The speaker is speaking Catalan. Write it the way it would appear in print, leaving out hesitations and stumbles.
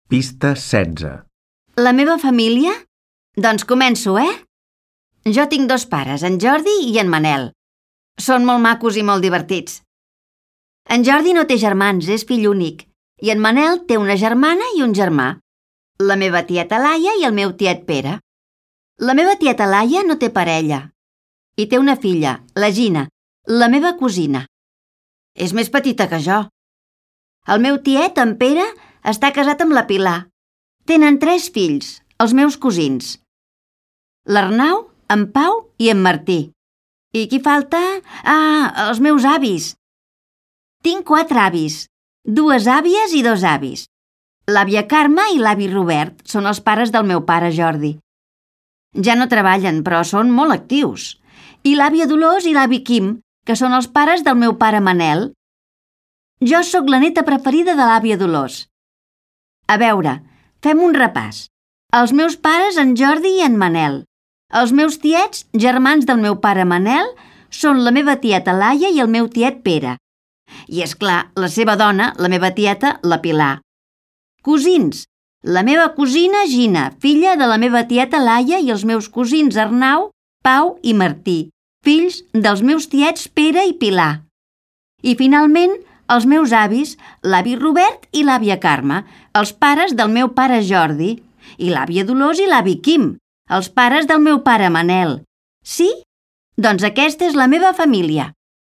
Pista 16. La meva família? Doncs començo, Jo tinc 2 pares, en Jordi i en Manel. Són molt macos i molt divertits. En Jordi no té germans, és fill únic, i en Manel té una germana i un germà, la meva tieta Laia i el meu tiet Pere. La meva tieta Laia no té parella i té una filla, la Gina, la meva cosina. És més petita que jo. El meu tiet, en Pere, està casat amb la Pilar. Tenen 3 fills, els meus cosins. L'Arnau, en Pau i en Martí. I qui falta? Els meus avis. Tinc 4 avis, 2 àvies i 2 avis. L'àvia Carme i l'avi Robert són els pares del meu pare Jordi. Ja no treballen, però són molt actius. I l'àvia Dolors i l'avi Quim, que són els pares del meu pare Manel. Jo sóc la neta preferida de l'àvia Dolors. A veure, fem un repàs. Els meus pares, en Jordi i en Manel. Els meus tiets, germans del meu pare Manel, són la meva tieta Laia i el meu tiet Pere. I, és clar, la seva dona, la meva tieta, la Pilar. Cosins, la meva cosina Gina, filla de la meva tieta Laia i els meus cosins Arnau, Pau i Martí, fills dels meus tiets Pere i Pilar. I, finalment, els meus avis, l'avi Robert i l'àvia Carme, els pares del meu pare Jordi, i l'àvia Dolors i l'avi Quim, els pares del meu pare Manel. Sí? Doncs aquesta és la meva família.